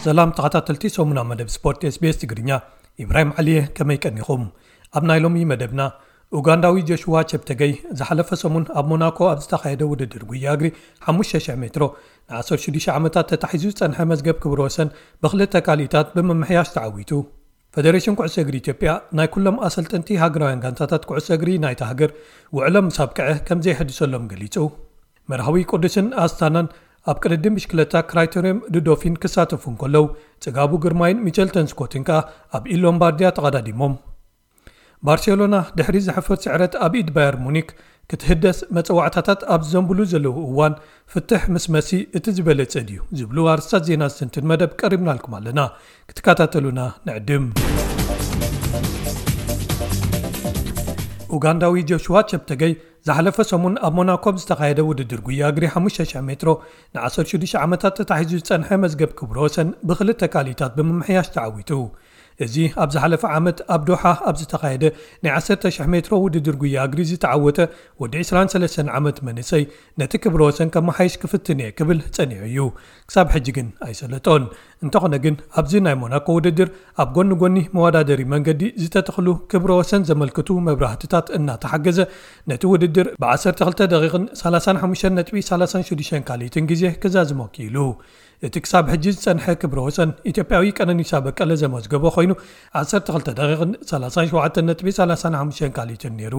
ሰላም ተኸታተልቲ ሰሙና መደብ ስፖርት SBS ትግርኛ፣ ኢብራሂም ዓሊየ፣ ከመይ ቀኒኹም? ኣብ ናይ ሎሚ መደብና፣ ኡጋንዳዊ ጆሽዋ ቸፕተገይ ዝሓለፈ ሰሙን ኣብ ሞናኮ ኣብ ዝተኻየደ ውድድር ጉያ እግሪ ሓሙሽተ ሽሕ ሜትሮ ን ዓሰርተ ሽዱሽተ ዓመታት ተታሒዙ ዝጸንሐ መዝገብ ክብረ ወሰን ብኽልተ ካልኢታት ብምምሕያሽ ተዓዊቱ። ፈደሬሽን ኩዕሶ እግሪ ኢትዮጵያ ናይ ኩሎም ኣሰልጠንቲ ሃገራውያን ጋንታታት ኩዕሶ እግሪ ናይታ ሃገር ውዕሎም ምስ ኣብቅዐ ከም ዘይሕድሰሎም ገሊጹ። መርሃዊ ቅዱስን ኣስታናን ኣብ ቅድድም ብሽክለታ ክራይቴርዮም ዱዶፊን ክሳተፉ እንከለዉ፣ ጽጋቡ ግርማይን ሚቸልተን ስኮትን ከኣ ኣብ ኢድ ሎምባርድያ ተቐዳዲሞም። ባርሴሎና ድሕሪ ዘሕፍር ስዕረት ኣብ ኢድ ባየር ሙኒክ ክትህደስ መጸዋዕታታት ኣብ ዝዘንብሉ ዘለዉ እዋን፣ ፍትሕ ምስ መሲ እቲ ዝበለጸ ድዩ ዝብሉ ኣርስታት ዜና ዝትንትን መደብ ቀሪብናልኩም ኣለና። ክትከታተሉና ንዕድም። ኡጋንዳዊ ጆሽዋ ቸፕተገይ ዝሓለፈ ሰሙን ኣብ ሞናኮ ኣብ ዝተኻየደ ውድድር ጉያ እግሪ ሓሙሽተ ሽሕ ሜትሮ ን ዓሰርተ ሽዱሽተ ዓመታት ተታሒዙ ዝጸንሐ መዝገብ ክብረ ወሰን ብኽልተ ካልኢታት ብምምሕያሽ ተዓዊቱ። እዚ ኣብ ዝሓለፈ ዓመት ኣብ ዶሓ ኣብ ዝተኻየደ ናይ ዓሰርተ ሽሕ ሜትሮ ውድድር ጉያ እግሪ ዝተዓወተ ወዲ ዕስራን ሰለስተን ዓመት መንእሰይ፣ ነቲ ክብረ ወሰን ከመሓይሽ ክፍትን እየ ክብል ጸኒሑ እዩ። ክሳብ ሕጂ ግን ኣይሰለጦን። እንተኾነ ግን፣ ኣብዚ ናይ ሞናኮ ውድድር ኣብ ጎኒ ጎኒ መወዳደሪ መንገዲ ዝተተኽሉ ክብረ ወሰን ዘመልክቱ መብራህትታት እናተሓገዘ፣ ነቲ ውድድር ብ ዓሰርተ ክልተ ደቂቕን ሰላሳን ሓሙሽተን ነጥቢ ሰላሳን ሽዱሽተን ካልኢትን ግዜ ክዛዝሞ ክኢሉ። እቲ ክሳብ ሕጂ ዝጸንሐ ክብረ ወሰን ኢትዮጵያዊ ቀነኒሳ በቀለ ዘመዝገቦ ኮይኑ፣ ዓሰርተ ክልተ ደቂቕን ሰላሳን ሸውዓተን ነጥቢ ሰላሳን ሓሙሽተን ካልኢትን ነይሩ።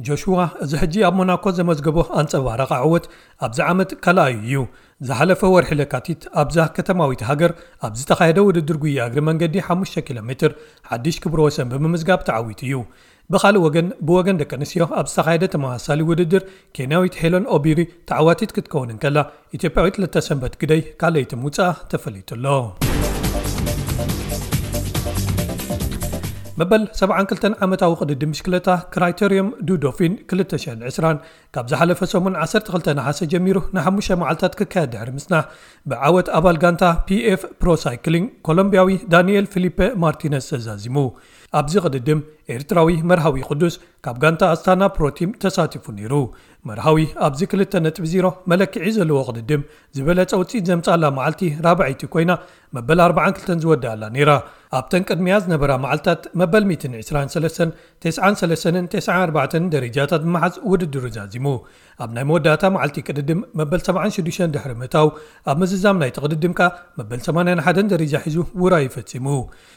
ጆሽዋ እዚ ሕጂ ኣብ ሞናኮ ዘመዝገቦ ኣንጸባራቒ ዓወት ኣብዚ ዓመት ካልኣዩ እዩ። ዝሓለፈ ወርሒ ለካቲት ኣብዛ ከተማዊት ሃገር ኣብ ዝተኻየደ ውድድር ጉያ እግሪ መንገዲ ሓሙሽተ ኪሎ ሜትር ሓድሽ ክብረ ወሰን ብምምዝጋብ ተዓዊቱ እዩ። ብኻልእ ወገን፣ ብወገን ደቂ ኣንስትዮ ኣብ ዝተኻየደ ተመሳሳሊ ውድድር፣ ኬንያዊት ሄለን ኦቢሪ ተዓዋቲት ክትከውን እንከላ፣ ኢትዮጵያዊት ለተሰንበት ግደይ ካልኣይቲ ምውጻኣ ተፈሊጡ ኣሎ። መበል ሰብዓን ክልተን ዓመታዊ ቅድድም ብሽክለታ ክራይቴርዮም ዱዶፊን ክልተ ሽሕን ዕስራን ካብ ዝሓለፈ ሰሙን ዓሰርተ ክልተ ነሓሰ ጀሚሩ ንሓሙሽተ መዓልታት ክካየድ ድሕሪ ምጽናሕ፣ ብዓወት ኣባል ጋንታ ፒኤፍ ፕሮ ሳይክሊንግ ኮሎምቢያዊ ዳንኤል ፊሊፔ ማርቲነስ ተዛዚሙ። ኣብዚ ቅድድም ኤርትራዊ መርሃዊ ቅዱስ ካብ ጋንታ ኣስታና ፕሮቲም ተሳቲፉ ነይሩ። መርሃዊ ኣብዚ ክልተ ነጥቢ ዜሮ መለክዒ ዘለዎ ቅድድም ዝበለጸ ውጽኢት ዘምጻላ መዓልቲ ራብዐይቲ ኮይና፣ መበል ኣርብዓን ክልተን ዝወደኣላ ነይራ። ኣብተን ቅድሚያ ዝነበራ መዓልታት መበል ሚእትን ዕስራን ሰለስተን፣ ተስዓን ሰለስተን፣ ተስዓን ኣርባዕተን ደረጃታት ብምሓዝ ውድድሩ ዛዚሙ። ኣብ ናይ መወዳእታ መዓልቲ ቅድድም መበል ሰብዓን ሽዱሽተን ድሕሪ ምእታው፣ ኣብ ምዝዛም ናይቲ ቅድድም ከኣ መበል ሰማንያን ሓደን ደረጃ ሒዙ ውራዩ ፈጺሙ።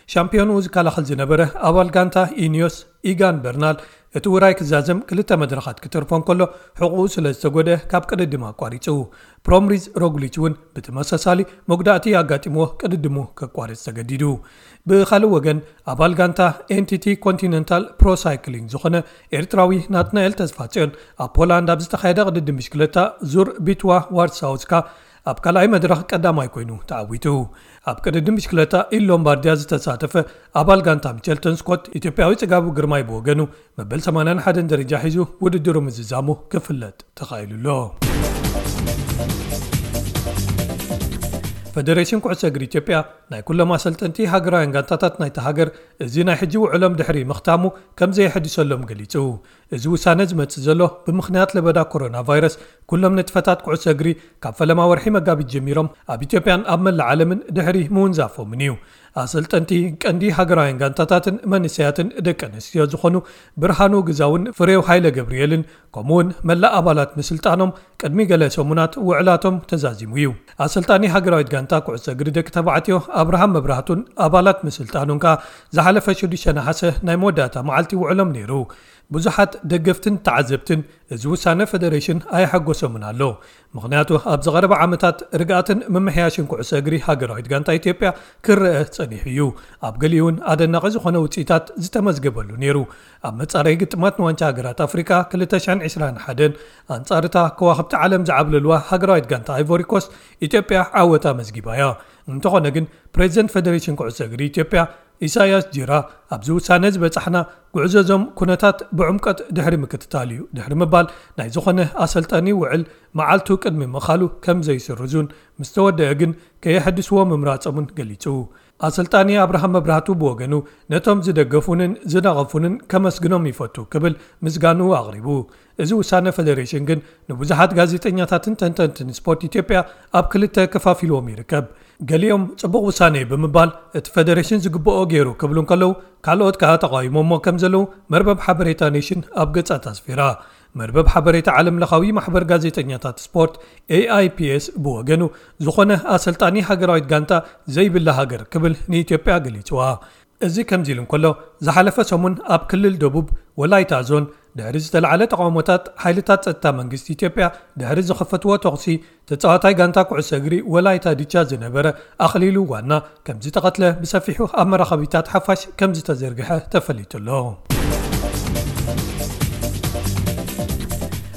ሻምፒዮንኡ ዝከላኸል ዝነበረ ኣባል ጋንታ ኢኒዮስ ኢጋን በርናል፣ እቲ ውራይ ክዛዘም ክልተ መድረኻት ክተርፎ እንከሎ፣ ሕቑኡ ስለ ዝተጎድአ ካብ ቅድድም ኣቋሪጹ። ፕሮምሪዝ ሮግሊች እውን ብተመሳሳሊ መጉዳእቲ ኣጋጢምዎ ቅድድሙ ከቋርጽ ተገዲዱ። ብኻልእ ወገን፣ ኣባል ጋንታ ኤንቲቲ ኮንቲነንታል ፕሮ ሳይክሊንግ ዝኾነ ኤርትራዊ ናትናኤል ተስፋጽዮን፣ ኣብ ፖላንድ ኣብ ዝተኻየደ ቅድድም ብሽክለታ ዙር ቢትዋ ዋርሳውስካ ኣብ ካልኣይ መድረኽ ቀዳማይ ኮይኑ ተዓዊቱ። ኣብ ቅድድም ብሽክለታ ኢድ ሎምባርድያ ዝተሳተፈ ኣባል ጋንታ ሚቸልተን ስኮት፣ ኢትዮጵያዊ ጽጋቡ ግርማይ ብወገኑ፣ መበል ሰማንያን ሓደን ደረጃ ሒዙ ውድድሩ ምዝዛሙ ክፍለጥ ተኻኢሉ ኣሎ። ፈደሬሽን ኩዕሶ እግሪ ኢትዮጵያ ናይ ኩሎም ኣሰልጠንቲ ሃገራውያን ጋንታታት ናይታ ሃገር እዚ ናይ ሕጂ ውዕሎም ድሕሪ ምኽታሙ ከም ዘየሐድሰሎም ገሊጹ። እዚ ውሳነ ዝመጽእ ዘሎ ብምኽንያት ለበዳ ኮሮና ቫይረስ ኩሎም ንጥፈታት ኩዕሶ እግሪ ካብ ፈለማ ወርሒ መጋቢት ጀሚሮም ኣብ ኢትዮጵያን ኣብ መላእ ዓለምን ድሕሪ ምውንዛፎምን እዩ። ኣሰልጠንቲ ቀንዲ ሃገራውያን ጋንታታትን መንእሰያትን ደቂ ኣንስትዮ ዝኾኑ ብርሃኑ ግዛውን ፍሬው ሃይለ ገብርኤልን፣ ከምኡውን መላእ ኣባላት ምስልጣኖም ቅድሚ ገለ ሰሙናት ውዕላቶም ተዛዚሙ እዩ። ኣሰልጣኒ ሃገራዊት ጋንታ ኩዕሶ እግሪ ደቂ ተባዕትዮ ኣብርሃም መብራህቱን ኣባላት ምስልጣኑን ከኣ ዝሓለፈ ሽዱሽተ ነሓሰ ናይ መወዳእታ መዓልቲ ውዕሎም ነይሩ። ብዙሓት ደገፍትን ተዓዘብትን እዚ ውሳነ ፈደሬሽን ኣየሐጎሶምን ኣሎ። ምኽንያቱ፣ ኣብ ዝቐረበ ዓመታት ርግኣትን ምምሕያሽን ኩዕሶ እግሪ ሃገራዊት ጋንታ ኢትዮጵያ ክረአ ጸኒሑ እዩ። ኣብ ገሊኡ እውን ኣደናቒ ዝኾነ ውጽኢታት ዝተመዝገበሉ ነይሩ። ኣብ መጻረዪ ግጥማት ንዋንጫ ሃገራት ኣፍሪቃ ክልተ ሽሕን ዕስራን ሓደን፣ ኣንጻር እታ ከዋኽብቲ ዓለም ዝዓብለልዋ ሃገራዊት ጋንታ ኣይቮሪ ኮስት፣ ኢትዮጵያ ዓወት ኣመዝጊባ እያ። እንተኾነ ግን፣ ፕሬዚደንት ፈደሬሽን ኩዕሶ እግሪ ኢትዮጵያ ኢሳያስ ጂራ፣ ኣብዚ ውሳነ ዝበጻሕና፣ ጉዕዞ እዞም ኩነታት ብዕምቀት ድሕሪ ምክትታል እዩ ድሕሪ ምባል፣ ናይ ዝኾነ ኣሰልጣኒ ውዕል መዓልቱ ቅድሚ ምኻሉ ከም ዘይስርዙን፣ ምስ ተወደአ ግን ከየሐድስዎ ምምራጾምን ገሊጹ። ኣሰልጣኒ ኣብርሃም መብራህቱ ብወገኑ፣ ነቶም ዝደገፉንን ዝነቐፉንን ከመስግኖም ይፈቱ ክብል ምስጋንኡ ኣቕሪቡ። እዚ ውሳነ ፈደሬሽን ግን ንብዙሓት ጋዜጠኛታትን ተንተንትን ስፖርት ኢትዮጵያ ኣብ ክልተ ከፋፊልዎም ይርከብ። ገሊኦም ጽቡቕ ውሳኔ ብምባል እቲ ፈደሬሽን ዝግብኦ ገይሩ ክብሉ እንከለዉ፣ ካልኦት ከኣ ተቓዊሞሞ ከም ዘለዉ መርበብ ሓበሬታ ኔሽን ኣብ ገጻት ኣስፊራ። መርበብ ሓበሬታ ዓለም ለኻዊ ማሕበር ጋዜጠኛታት ስፖርት ኤኣይፒኤስ ብወገኑ፣ ዝኾነ ኣሰልጣኒ ሃገራዊት ጋንታ ዘይብላ ሃገር ክብል ንኢትዮጵያ ገሊጽዋ። እዚ ከምዚ ኢሉ እንከሎ፣ ዝሓለፈ ሰሙን ኣብ ክልል ደቡብ ወላይታ ዞን ድሕሪ ዝተላዕለ ተቓውሞታት፣ ሓይልታት ጸጥታ መንግስቲ ኢትዮጵያ ድሕሪ ዝኸፈትዎ ተኹሲ፣ ተጻዋታይ ጋንታ ኩዕሶ እግሪ ወላይታ ዲቻ ዝነበረ ኣኽሊሉ ዋና ከም ዝተቐትለ ብሰፊሑ ኣብ መራኸቢታት ሓፋሽ ከም ዝተዘርግሐ ተፈሊጡ ኣሎ።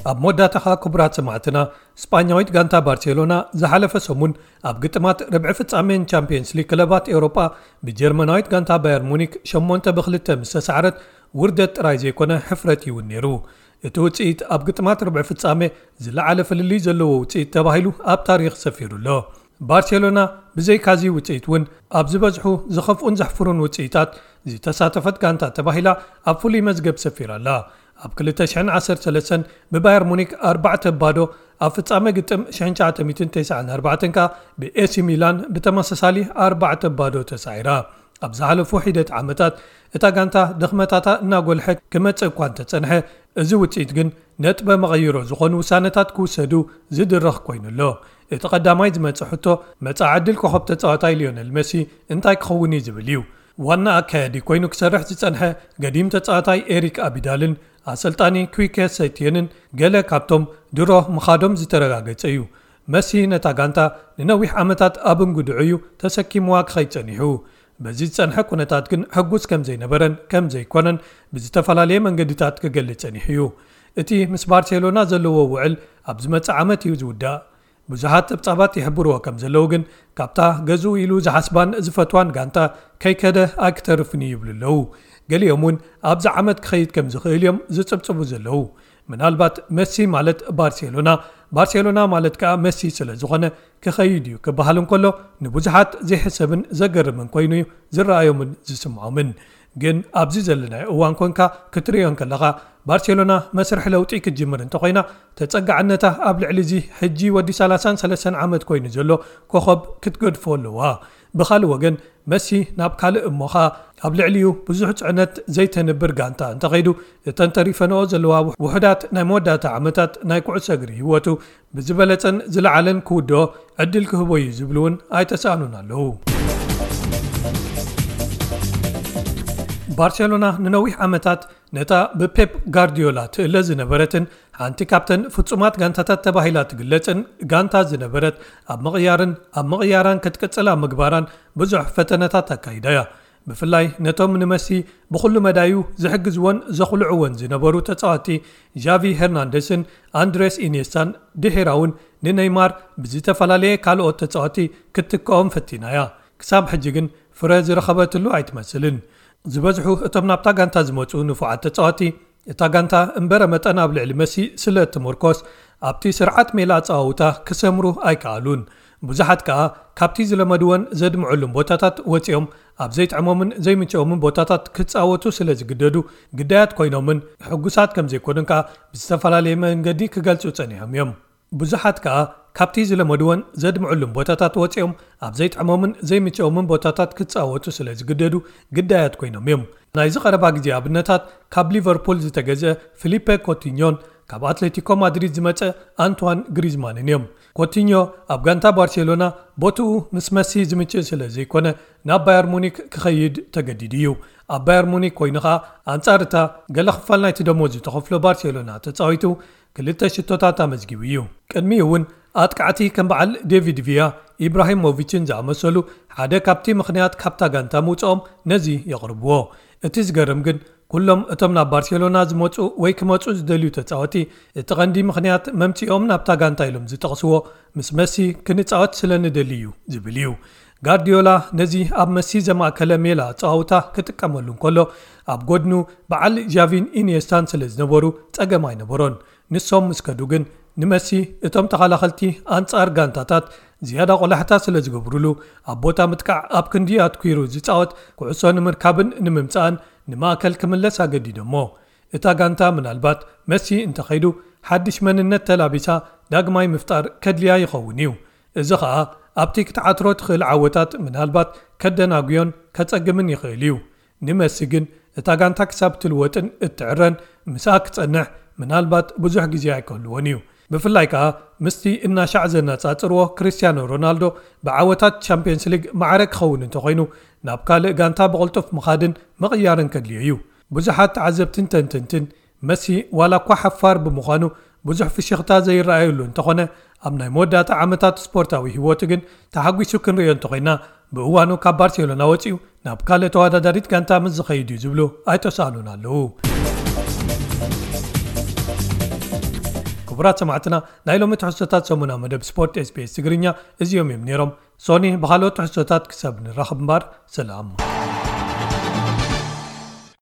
ኣብ መወዳእታ ኸኣ ክቡራት ሰማዕትና፣ ስጳኛዊት ጋንታ ባርሴሎና ዝሓለፈ ሰሙን ኣብ ግጥማት ርብዒ ፍጻሜን ቻምፒየንስ ሊግ ክለባት ኤውሮጳ ብጀርመናዊት ጋንታ ባየር ሙኒክ ሸሞንተ ብክልተ ምስ ተሳዕረት፣ ውርደት ጥራይ ዘይኮነ ሕፍረት እውን ነይሩ። እቲ ውጽኢት ኣብ ግጥማት ርብዒ ፍጻሜ ዝለዓለ ፍልልይ ዘለዎ ውጽኢት ተባሂሉ ኣብ ታሪኽ ሰፊሩ ኣሎ። ባርሴሎና ብዘይካዚ ውጽኢት እውን ኣብ ዝበዝሑ ዝኸፍኡን ዘሕፍሩን ውጽኢታት ዝተሳተፈት ጋንታ ተባሂላ ኣብ ፍሉይ መዝገብ ሰፊራ ኣላ። ኣብ ክልተ ሽሕን ዓሰርተ ሰለስተን ብባየር ሙኒክ ኣርባዕተ ባዶ፣ ኣብ ፍጻመ ግጥም ሽሕን ትሽዓተ ሚእትን ተስዓን ኣርባዕተን ከኣ ብኤሲ ሚላን ብተመሳሳሊ ኣርባዕተ ባዶ ተሳዒራ። ኣብ ዝሓለፉ ሒደት ዓመታት እታ ጋንታ ድኽመታታ እናጎልሐ ክመጽእ እኳ እንተጸንሐ፣ እዚ ውጽኢት ግን ነጥበ መቐይሮ ዝኾኑ ውሳነታት ክውሰዱ ዝድርኽ ኮይኑ ኣሎ። እቲ ቀዳማይ ዝመጽእ ሕቶ፣ መጻኢ ዕድል ኮኸብ ተጻዋታይ ሊዮነል መሲ እንታይ ክኸውን እዩ ዝብል እዩ። ዋና ኣካያዲ ኮይኑ ክሰርሕ ዝጸንሐ ገዲም ተጻዋታይ ኤሪክ ኣቢዳልን ኣሰልጣኒ ኩይከ ሰይትየንን ገለ ካብቶም ድሮ ምኻዶም ዝተረጋገጸ እዩ። መሲ ነታ ጋንታ ንነዊሕ ዓመታት ኣብ እንግድዑ እዩ ተሰኪምዋ ክኸይድ ጸኒሑ። በዚ ዝጸንሐ ኩነታት ግን ሕጉስ ከም ዘይነበረን ከም ዘይኮነን ብዝተፈላለየ መንገድታት ክገልጽ ጸኒሑ እዩ። እቲ ምስ ባርሴሎና ዘለዎ ውዕል ኣብ ዝመጽእ ዓመት እዩ ዝውዳእ። ብዙሓት ጸብጻባት ይሕብርዎ ከም ዘለዉ ግን፣ ካብታ ገዝኡ ኢሉ ዝሓስባን ዝፈትዋን ጋንታ ከይከደ ኣይክተርፍን እዩ ይብሉ ኣለዉ። ገሊኦም እውን ኣብዚ ዓመት ክኸይድ ከም ዝኽእል እዮም ዝጽብጽቡ ዘለዉ። ምናልባት መሲ ማለት ባርሴሎና፣ ባርሴሎና ማለት ከኣ መሲ ስለ ዝኾነ ክኸይድ እዩ ክበሃል እንከሎ፣ ንብዙሓት ዘይሕሰብን ዘገርምን ኮይኑ እዩ ዝረኣዮምን ዝስምዖምን። ግን ኣብዚ ዘለናዮ እዋን ኮንካ ክትርእዮ እንከለኻ፣ ባርሴሎና መስርሕ ለውጢ ክትጅምር እንተኾይና፣ ተጸጋዕነታ ኣብ ልዕሊ እዚ ሕጂ ወዲ ሰላሳን ሰለስተን ዓመት ኮይኑ ዘሎ ኮኸብ ክትገድፎ ኣለዋ። ብኻልእ ወገን፣ መሲ ናብ ካልእ እሞ ኸኣ ኣብ ልዕሊኡ ብዙሕ ጽዕነት ዘይተንብር ጋንታ እንተኸይዱ፣ እተን ተሪፈንኦ ዘለዋ ውሑዳት ናይ መወዳእታ ዓመታት ናይ ኩዕሶ እግሪ ህይወቱ ብዝበለጸን ዝለዓለን ክውድኦ ዕድል ክህቦ እዩ ዝብሉ እውን ኣይተሳእኑን ኣለዉ። ባርሴሎና ንነዊሕ ዓመታት ነታ ብፔፕ ጋርዲዮላ ትእለ ዝነበረትን ሓንቲ ካብተን ፍጹማት ጋንታታት ተባሂላ ትግለጽን ጋንታ ዝነበረት፣ ኣብ ምቕያርን ኣብ ምቕያራን ክትቅጽል ኣብ ምግባራን ብዙሕ ፈተነታት ኣካይዳ እያ። ብፍላይ ነቶም ንመሲ ብኹሉ መዳዩ ዝሕግዝዎን ዘኹልዕዎን ዝነበሩ ተጻወትቲ ዣቪ ሄርናንደስን ኣንድሬስ ኢኒየስታን፣ ድሒራ እውን ንነይማር ብዝተፈላለየ ካልኦት ተጻወትቲ ክትትክኦም ፈቲና እያ። ክሳብ ሕጂ ግን ፍረ ዝረኸበትሉ ኣይትመስልን። ዝበዝሑ እቶም ናብታ ጋንታ ዝመጹ ንፉዓት ተጻወትቲ፣ እታ ጋንታ እምበረ መጠን ኣብ ልዕሊ መሲ ስለ እትምርኮስ፣ ኣብቲ ስርዓት ሜላ ኣጸዋውታ ክሰምሩ ኣይከኣሉን። ብዙሓት ከኣ ካብቲ ዝለመድዎን ዘድምዑሉን ቦታታት ወጺኦም፣ ኣብ ዘይጥዕሞምን ዘይምችኦምን ቦታታት ክጻወቱ ስለ ዝግደዱ፣ ግዳያት ኮይኖምን ሕጉሳት ከም ዘይኮኑን ከኣ ብዝተፈላለየ መንገዲ ክገልጹ ጸኒሖም እዮም። ብዙሓት ከኣ ካብቲ ዝለመድዎን ዘድምዑሉን ቦታታት ወጺኦም፣ ኣብ ዘይጥዕሞምን ዘይምችኦምን ቦታታት ክጻወቱ ስለ ዝግደዱ፣ ግዳያት ኮይኖም እዮም። ናይዚ ቀረባ ግዜ ኣብነታት፣ ካብ ሊቨርፑል ዝተገዝአ ፊሊፔ ኮቲኞን ካብ ኣትሌቲኮ ማድሪድ ዝመጸ ኣንቷን ግሪዝማንን እዮም። ኮቲኞ ኣብ ጋንታ ባርሴሎና ቦትኡ ምስ መሲ ዝምችእ ስለ ዘይኮነ፣ ናብ ባየር ሙኒክ ክኸይድ ተገዲዱ እዩ። ኣብ ባየር ሙኒክ ኮይኑ ኸኣ፣ ኣንጻር እታ ገለ ክፋል ናይቲ ደሞዝ ዝተኸፍሎ ባርሴሎና ተጻዊቱ፣ ክልተ ሽቶታት ኣመዝጊቡ እዩ። ቅድሚኡ እውን ኣጥቃዕቲ ከም በዓል ዴቪድ ቪያ፣ ኢብራሂሞቪችን ዝኣመሰሉ ሓደ ካብቲ ምኽንያት ካብታ ጋንታ ምውጽኦም ነዚ የቕርብዎ። እቲ ዝገርም ግን፣ ኩሎም እቶም ናብ ባርሴሎና ዝመጹ ወይ ክመጹ ዝደልዩ ተጻወቲ፣ እቲ ቀንዲ ምኽንያት መምጺኦም ናብታ ጋንታ ኢሎም ዝጠቕስዎ፣ ምስ መሲ ክንጻወት ስለ ንደሊ እዩ ዝብል እዩ። ጋርዲዮላ ነዚ ኣብ መሲ ዘማእከለ ሜላ ኣጸዋውታ ክጥቀመሉ እንከሎ፣ ኣብ ጎድኑ በዓል ዣቪን ኢኒየስታን ስለ ዝነበሩ ጸገም ኣይነበሮን። ንሶም ምስ ከዱ ግን፣ ንመሲ እቶም ተኸላኸልቲ ኣንጻር ጋንታታት ዝያዳ ቆላሕታ ስለ ዝገብሩሉ፣ ኣብ ቦታ ምጥቃዕ ኣብ ክንዲ ኣትኲሩ ዝጻወት፣ ኩዕሶ ንምርካብን ንምምጻእን ንማእከል ክምለስ ኣገዲዶሞ። እታ ጋንታ ምናልባት መሲ እንተኸይዱ፣ ሓድሽ መንነት ተላቢሳ ዳግማይ ምፍጣር ከድልያ ይኸውን እዩ። እዚ ኸኣ ኣብቲ ክትዓትሮ ትኽእል ዓወታት ምናልባት ከደናጉዮን ከጸግምን ይኽእል እዩ። ንመሲ ግን እታ ጋንታ ክሳብ ትልወጥን እትዕረን ምስኣ ክጸንሕ ምናልባት ብዙሕ ግዜ ኣይከህልዎን እዩ። ብፍላይ ከኣ ምስቲ እናሻዕ ዘነጻጽርዎ ክርስቲያኖ ሮናልዶ ብዓወታት ቻምፒየንስ ሊግ ማዕረ ክኸውን እንተኾይኑ ናብ ካልእ ጋንታ ብቕልጡፍ ምኻድን ምቕያርን ከድልዮ እዩ። ብዙሓት ተዓዘብትን ተንተንትን መሲ ዋላ እኳ ሓፋር ብምዃኑ ብዙሕ ፍሽኽታ ዘይረኣየሉ እንተኾነ ኣብ ናይ መወዳእታ ዓመታት ስፖርታዊ ህይወቱ ግን ተሓጒሱ ክንርእዮ እንተኾይና ብእዋኑ ካብ ባርሴሎና ወፂኡ ናብ ካልእ ተወዳዳሪት ጋንታ ምስ ዝኸይድ እዩ ዝብሉ ኣይተሳእኑን ኣለዉ። ክቡራት ሰማዕትና ናይ ሎሚ ትሕዝቶታት ሰሙና መደብ ስፖርት ኤስቢኤስ ትግርኛ እዚኦም እዮም ነይሮም። ሶኒ ብኻልኦት ትሕዝቶታት ክሳብ ንራኸብ እምበር ሰላም።